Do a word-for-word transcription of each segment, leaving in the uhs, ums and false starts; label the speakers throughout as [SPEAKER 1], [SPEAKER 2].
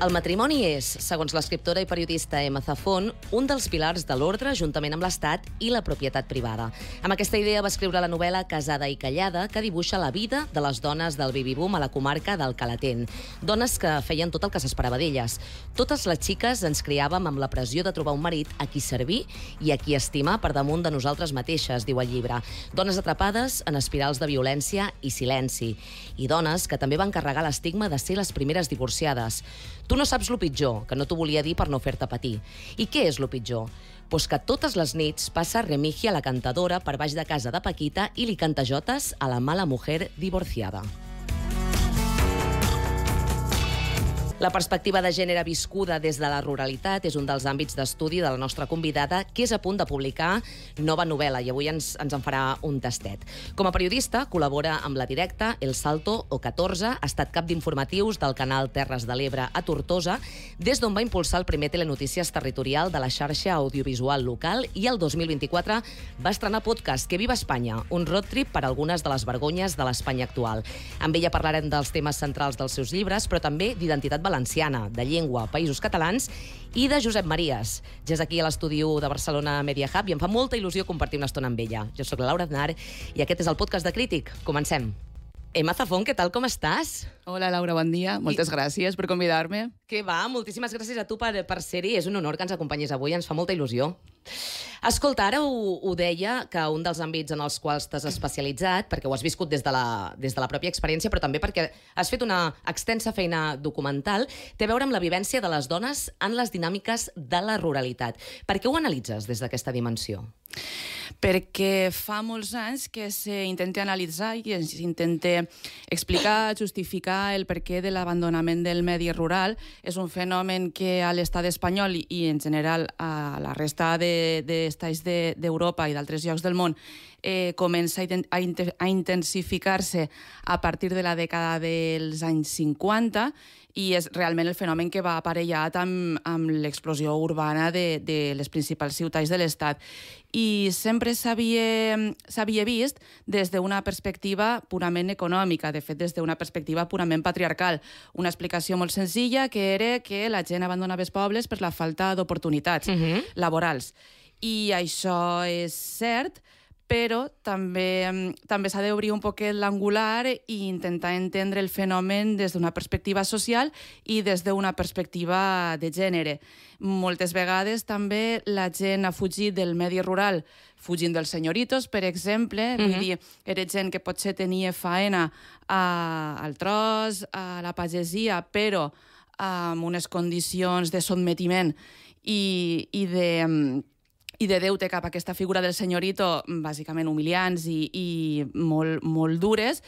[SPEAKER 1] El matrimoni és, segons l'escriptora i periodista Emma Zafón, un dels pilars de l'ordre juntament amb l'Estat i la propietat privada. Amb aquesta idea va escriure la novel·la Casada i callada, que dibuixa la vida de les dones del baby-boom a la comarca del Calatent. Dones que feien tot el que s'esperava d'elles. Totes les xiques ens criàvem amb la pressió de trobar un marit a qui servir i a qui estimar per damunt de nosaltres mateixes, diu el llibre. Dones atrapades en espirals de violència i silenci. I dones que també van carregar l'estigma de ser les primeres divorciades. Tu no saps lo pitjor, que no t'ho volia dir per no fer-te patir. I què és lo pitjor? Pues que totes les nits passa Remigia, la cantadora, per baix de casa de Paquita i li canta jotes a la mala mujer divorciada. La perspectiva de gènere viscuda des de la ruralitat és un dels àmbits d'estudi de la nostra convidada, que és a punt de publicar nova novel·la, i avui ens, ens en farà un tastet. Com a periodista, col·labora amb La Directa, El Salto o catorze, ha estat cap d'informatius del canal Terres de l'Ebre a Tortosa, des d'on va impulsar el primer telenotícies territorial de la xarxa audiovisual local, i el dos mil vint-i-quatre va estrenar podcast Que viva Espanya, un road trip per algunes de les vergonyes de l'Espanya actual. Amb ella parlarem dels temes centrals dels seus llibres, però també d'identitat valenciana, de llengua, països catalans i de Josep Maries. Ja és aquí a l'estudi de Barcelona Media Hub i em fa molta il·lusió compartir una estona amb ella. Jo sóc la Laura Aznar i aquest és el podcast de Crític. Comencem. Emma Zafón, què tal, com estàs?
[SPEAKER 2] Hola, Laura, bon dia. Moltes I... gràcies per convidar-me.
[SPEAKER 1] Que va, moltíssimes gràcies a tu per, per ser-hi. És un honor que ens acompanyis avui, ens fa molta il·lusió. Escolta, ara ho, ho deia, que un dels àmbits en els quals t'has especialitzat, perquè ho has viscut des de, la, des de la pròpia experiència, però també perquè has fet una extensa feina documental, té a veure amb la vivència de les dones en les dinàmiques de la ruralitat. Per què ho analitzes des d'aquesta dimensió?
[SPEAKER 2] Perquè fa molts anys que s'intenta analitzar i s'intenta explicar, justificar el perquè de l'abandonament del medi rural. És un fenomen que a l'estat espanyol i en general a la resta d'estats de, d'Europa i d'altres llocs del món eh, comença a, a intensificar-se a partir de la dècada dels anys cinquanta, i és realment el fenomen que va aparellat amb, amb l'explosió urbana de, de les principals ciutats de l'Estat. I sempre s'havia vist des d'una perspectiva purament econòmica, de fet, des d'una perspectiva purament patriarcal. Una explicació molt senzilla, que era que la gent abandonava els pobles per la falta d'oportunitats uh-huh. laborals. I això és cert, però també, també s'ha d'obrir un poquet l'angular i intentar entendre el fenomen des d'una perspectiva social i des d'una perspectiva de gènere. Moltes vegades també la gent ha fugit del medi rural fugint dels senyoritos, per exemple. Uh-huh. Vull dir, era gent que potser tenia faena a, al tros, a la pagesia, però amb unes condicions de sotmetiment i, i de... i de deute cap a aquesta figura del senyorito, bàsicament humiliants i, i molt, molt dures,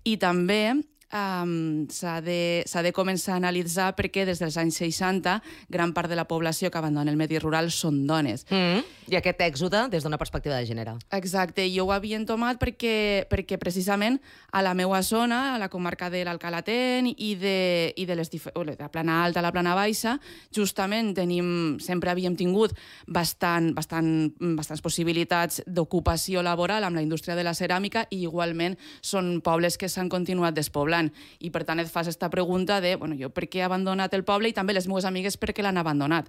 [SPEAKER 2] i també um, s'ha de, s'ha de començar a analitzar perquè des dels anys seixanta gran part de la població que abandona el medi rural són dones.
[SPEAKER 1] Mm-hmm. I aquest èxode des d'una perspectiva de gènere.
[SPEAKER 2] Exacte, jo ho havia entomat perquè, perquè precisament a la meua zona, a la comarca de l'Alcalatent i de, i de, les, de la plana alta a la plana baixa, justament tenim, sempre havíem tingut bastant, bastant, bastants possibilitats d'ocupació laboral amb la indústria de la ceràmica, i igualment són pobles que s'han continuat despoblant. I per tant et fas aquesta pregunta de, bueno, jo per què he abandonat el poble, i també les meves amigues per què l'han abandonat.